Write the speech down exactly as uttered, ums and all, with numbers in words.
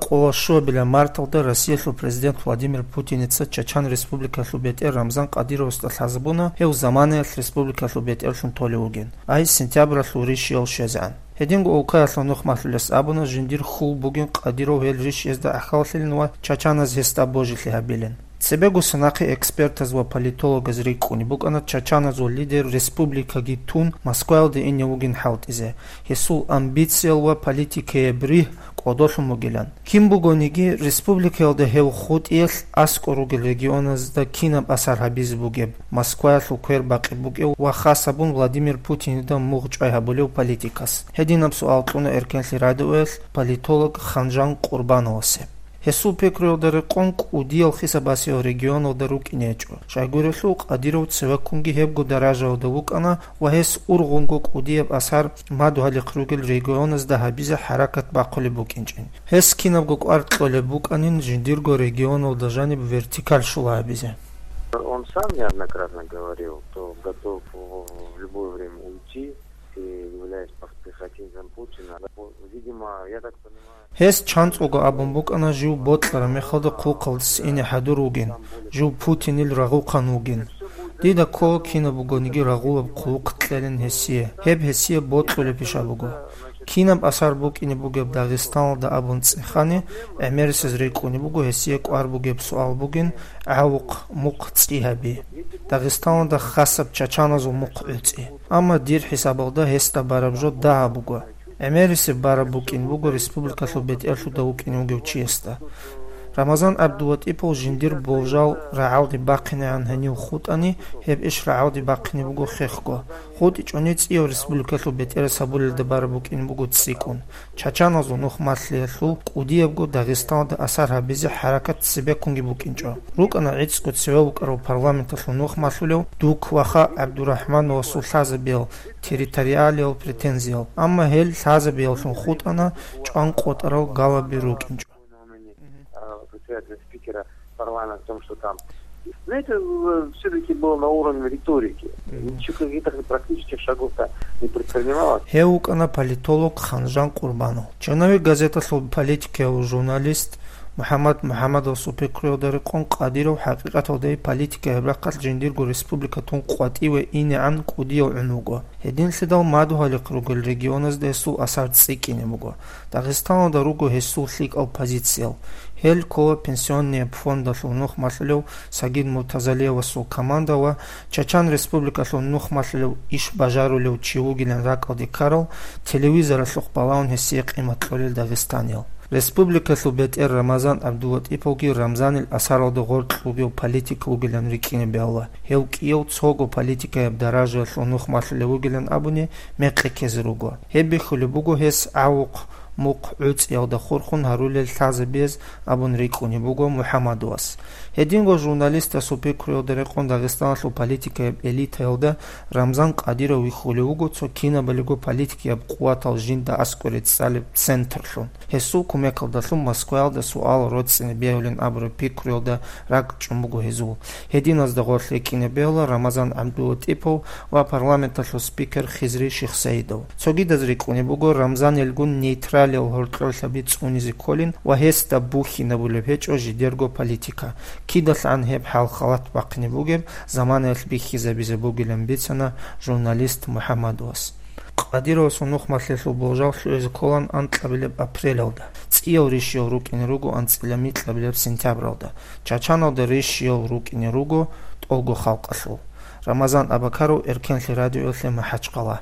Къоло щуабилеб марталда Россиялъул президент Владимир Путиница Чачан Республикалъул бетӀер Рамзан Кадыровасда лъазабуна, гьев заманаялъ республикалъул бетӀерлъун толев вугин, ай сентябралъул рищиялъ щвезегӀан. Гьединго улкаялъул нухмалъулес абуна, жиндир хьул бугин Кадыров гьел рищиязда гӀахьаллъилин ва чачаназ гьесда божилъи гьабилин. Цебего нахъе экспертаз ва политологаз рикӀкӀунеб букӀана чачаназул лидер республикаги тун Москваялде ине вугин хӀалтӀизе, гьесул амбициял ва политикаяб ригь кӀодолъун бугилан. Кин бугониги, республикаялда гьев хутӀиялъ аскӀор ругел регионазда кинаб асар гьабизе бугеб, Москваялъул квер бакъи букӀев ва хас гьабун Владимир Путинида мугъ чӀвай гьабулев политикас? Гьединаб суал кьуна Эркенлъи радиоялъ политолог Ханжан Къурбановасе. Гьесул пикруялда рекъон кӀудиял хисабасел регионалда рукӀине гьечӀо. Щайгурелъул Кадыров цевеккунги гьебго даражаялда вукӀана ва гьес ургъунго кӀудияб асар мадугьалихъ ругел регионазда гьабизе хӀаракат бахъулеб букӀинчӀин. Гьес кинабго кӀвар кьолеб букӀанин жиндирго регионалда жаниб вертикаль щула гьабизе. Он сам неоднократно говорил, что готов в любое время уйти, и являясь пос-, пехотинцем Путина. Видимо, я так понимаю, Гьес чанцӀого абун букӀана жив бокьараб мехалда хъулухъалдаса ине хӀадур вугин, жив Путинил рагъухъан вугин. Дида ккола кинаб бугониги рагъулаб хъулухъ кьелин гьесие, гьеб гьесие бокьулеб пиша буго. Кинаб асар букӀине бугеб Дагъистаналда абун цӀехани, гӀемерисез рикӀкӀунеб буго гьесие кӀвар бугеб суал бугин, гӀавухъ мухъ цӀи гьаби. Дагъистаналда хасаб чачаназул мухъ гӀуцӀи. Амма дир хӀисабалда гьесда бараб жо дагьаб буго. ГӀемерисеб бараб букӀин буго республикалъул бетӀерлъуда вукӀине вугев чиясда. Рамазан ГӀабдулатӀипов жиндир болжал рагӀалде бахъинегӀан гьенив хутӀани, гьеб иш рагӀалде бахъине буго хехго. ХутӀичӀони цӀияв республикалъул бетӀерас гьабулелда бараб букӀин буго цӀикӀкӀун. Чачаназул нухмалъиялъул кӀудиябго Дагъистаналда асар гьабизе хӀаракат цебеккунги букӀинчӀо. РукӀана гӀицӀго цеве вукӀарав парламенталъул нухмалъулев Дук ваха ГӀабдурахӀмановасул лъазабиял территориалиял претензиял, амма гьел лъазабияллъун хутӀана чӀван къотӀарал галаби рукӀинчӀо. А, председателя, спикера парламента, о том, что там. Знаете, э, всё-таки было на уровне риторики. Мгм. Ничего, каких-то практических шагов-то не предпринималось. Гьев вукӀана политолог Ханжан Къурбанов. Чинави газеталъул политикияв журналист МухӀаммад МухӀаммадовасул пикруялда рекъон Кадыров хӀакъикъаталда политика гьеб рахъалъ жиндирго республика тун къватӀиве инегӀан кӀудияв гӀун вуго. Гьединлъидал мадугьалихъ ругел регионазда гьесул асар цӀикӀкӀине буго. Дагъистаналда руго гьесул лъикӀал позициял. Гьел ккола пенсионный фондалъул нухмалъулев Сагид Муртазалиевасул команда ва Чачан Республикалъул нухмалъулев иш бажарулев чи вугилан ракӀалде ккарал, телевизоралъухъ балагьун гьесие къимат кьолел дагъистаниял. Республикалъул бетӀер Рамазан ГӀабдулатӀиповги Рамзанил асаралда гъоркь вугев политик вугилан рикӀкӀине бегьула. Гьев кӀияв цого политикаяб даражаялъул нухмалъулев вугилан абуни мекъи ккезе руго. Гьеб бихьулеб буго гьес гӀавухъ мухъ гӀуцӀиялда хурхун гьарулел лъазабиз абун рикӀкӀунеб буго МухӀаммадовас. Гьединго журналистасул пикруялда рекъон Дагъистаналъул политикаяб элитаялда Рамзан Кадыров вихьулев вуго цо кинабалиго политикаяб къуватал жинда аскӀоре цӀалеб центрлъун. Гьесул кумекалдалъун Москваялда суал роцӀцӀине бегьулин абураб пикруялда ракӀчӀун буго гьезул. Гьединазда гъорлъ рикӀкӀине бегьула Рамазан ГӀабдулатӀипов ва парламенталъул спикер Хизри Шихсаидов. Цогидаз рикӀкӀунеб буго Рамзанилгун нейтралиял гьоркьорлъаби цӀунизе кколин ва гьесда бухьинабулеб гьечӀо жидерго политика. Кидалъан гьеб хӀал-халат бахъине бугеб заманаялъ бихьизабизе бугилан бицана журналист МухӀаммадовас. Кадыровасул нухмалъиялъул болжал лъугӀизе кколаан анкьабилеб апрелалда. ЦӀиял рищиял рукӀине руго анцӀила микьабилеб сентябралда. Чачаналда рищиял рукӀине руго тӀолго халкъалъул. Рамазан Абакаров, Эркенлъи радиоялъе, МахӀачхъала.